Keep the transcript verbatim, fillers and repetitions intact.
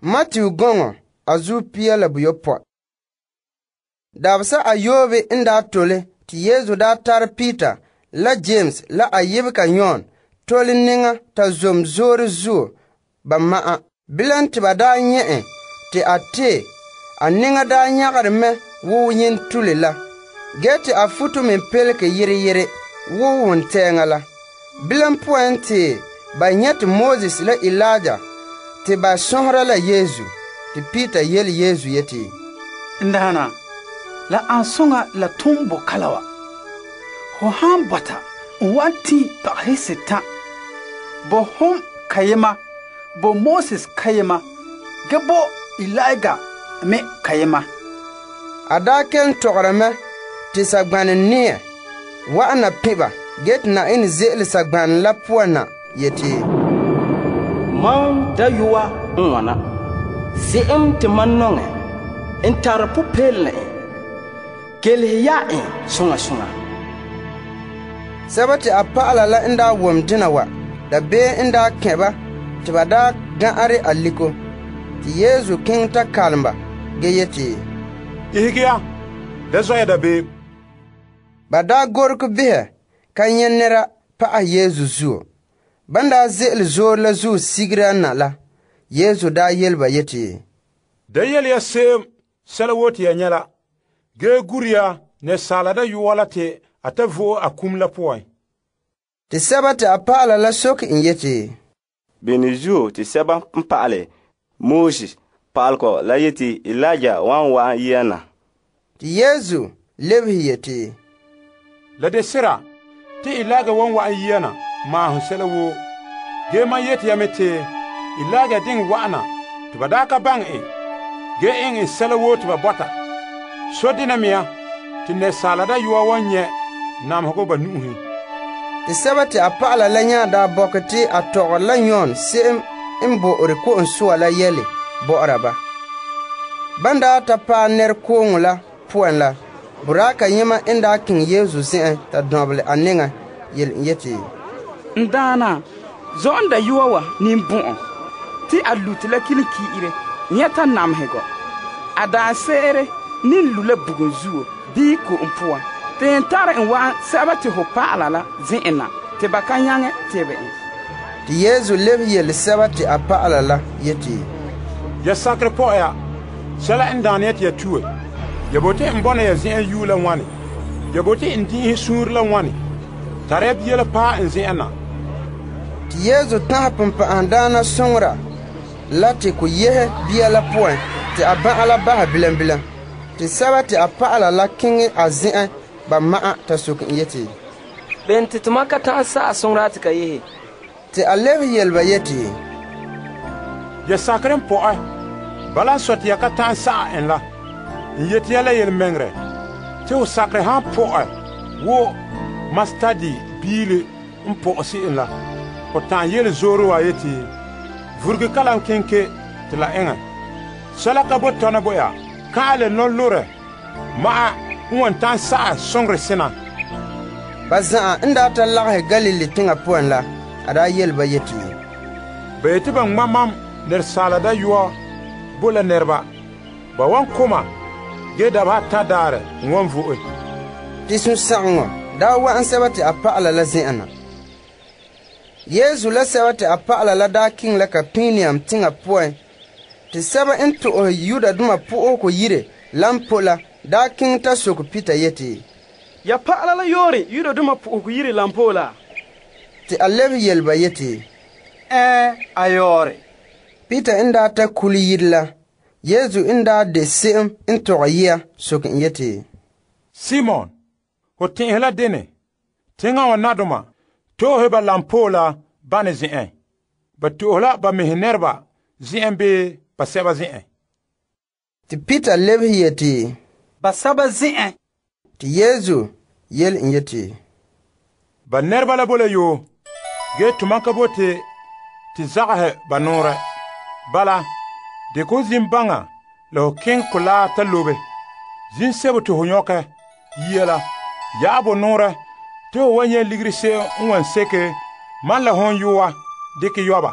Matthew gɔŋɔ a zuo pia la buyopɔe. Dabesa ayoobe n daa tole te Yesu daa tare Peter la James la a yebega Yon tole niŋa ta zom zoore zuo ba ma'an. Bilam te ba daa nyɛ' en te a tee, a niŋa daa nyagere mɛ wo yentule la, ge te a futo me pelege yere yere wo wontɛɛŋa la. Bilam poan te ba nyɛte Moses la Elijah te ba sɔnhera la Yesu. Te Peter yele Yesu yeti, N daana, la an soŋa la tom bo kala wa. Ho han bɔta n wan ti paghe setan. Bo hom kayema, bo Moses kayema, ge bo Elijah me kayema. A daa kelum tɔgɔra mɛ te sagbana neɛ wa'ana pɛba ge te Na'ayenɛ ze'ele sagbana la poan na yeti, Mam dayɔa n wana. Se'em te mam nɔŋɛ n tare popeelena en. Kelehe ya en soŋa soŋa. Sɛba te a pa'ala la n daa wom dena wa, dabeem n daa kɛ ba te ba daa ga'are a liko. Te Yesu keŋɛ ta kalom ba ge yeti, Ihege ya, da zɔ ya dabeem. Ba daa gorege behɛ ka nyɛ nɛra pa'ahɛ Yesu zuo. Ban daa ze'ele zoore la zuo sigera na la, Yesu daa yele ba yeti, Da yele ya se'em sɛla woo te ya nyɛ la, ge gure ya Asaala Dayɔa la te a ta vo'e a kum la poan. Te sɛba te a pa'ala la soke en yeti, Bene zuo te sɛba n pa'ale Moses pa'alegɔ la yeti Elijah wan wa'an yia na. Te Yesu lebehe yeti, La de sera te Elijah wan wa'an yia na maahom sɛla woo. Ge man yeti ya me te Elijah diŋ wa'ana te ba daa ka baŋɛ en, ge eŋɛ en sɛla woo te ba bɔta. So dena mea te Asaala Dayɔa wan nyɛ namehegɔ ba nu'uhen. Te sɛba te a pa'ala la nyaa daa bɔkɛ te a tɔgɔre la Yon se'em n bo'ore ko'om soa la yɛle bɔ'ɔra ba. Ban daa ta paɛ nɛrekooŋɔ la poan la, boraa kayema n daa keŋɛ Yesu zen'en ta dɔnbelɛ a neŋa yele n yeti, N daana, zɔ'ɔn dayɔa wa ninbɔ'ɔn, te a lute la kile ki'ire, nyɛta namehegɔ. A daanse'ere nin lu la bugum zuo bii ko'om poan. Te n tare n wa'an sɛba te ho pa'ala la zen'en na, te ba ka nyaŋɛ tebɛ en. Te Yesu lebe yele sɛba te a pa'ala la yeti, Ya sakere pɔ'ɛ ya, sɛla n daana ya te ya tue. Ya bote n bɔna ya zen'an yuu la ŋwane. Ya bote n di'inhe suunre la ŋwane. Tare ya bia la paɛ n zen'an na. Te Yesu tãha pumpa'ahadaana soŋora la te ko yehe bia la poan te a bã'a la bahɛ bilam bilam. Te sɛba te a pa'ala la keŋɛ a zen'en ba ma'an ta soke en yeti, Ben te tuma ka ta'an sa'a soŋora te ka yehe. Te a lebe yele ba yeti, Ya sakere n pɔ'ɛ, bala n sɔ te ya ka ta'an sa'a en la. N yeti ya la yelemɛŋɛrɛ, te ho sakere han pɔ'ɛ wo mastadi biile n pɔ'ɛ se'em la, ho ta'an yele zoore wa yeti, vurege kalam kenke te la eŋɛ. Sɛla ka bo tɔna bo ya, ka'ale nɔlorɛ ma'a n wan ta'an sa'a soŋore sena. ba za'a n daa ta lagahɛ Galili teŋa poan la, a daa yele ba yeti, Ba yeti ba ŋma mam Asaala Dayɔa bo la nɛreba. Ba wan koma ge daba ata daare n wan vo'e. te sũ-sãgeŋɔ daa wa'an sɛba te a pa'ala la zen'an na. Yesu la sɛba te a pa'ala la daa kiŋ la Kapernaum teŋa poan. Te sɛba n to'ohe Yudadoma po'ohego yire lan po la daa kiŋ ta soke Peter yeti, Ya pa'ala la yoore Yudadoma po'ohego yire lan po la? Te a lebe yele ba yeti, Ɛɛ, a yoore. Peter n daa ta kule yire la, Yesu n daa de se'em n tɔgɛ yia soke en yeti, Simon, ho tẽ'ɛhe la dene, teŋa wa nadoma, to'ohe ba lampoo la bane zen'en. Ba to'ohe la ba mehe nɛreba zen'en bee ba sɛba zen'en. Te Peter lebehe yeti, Ba saba zen'en. Te Yesu yele en yeti, Ba nɛreba la bo la yoo, ge tuma ka bote te zagasɛ ba noorɛ. Bala, de ko zin baŋa la ho keŋ kolaa ta lobe. Zin sebo te ho nyɔkɛ yia la, ya'a bo noorɛ te ho wa nyɛ ligiri se'em n wan seke man la hon yoa dikɛ yɔba.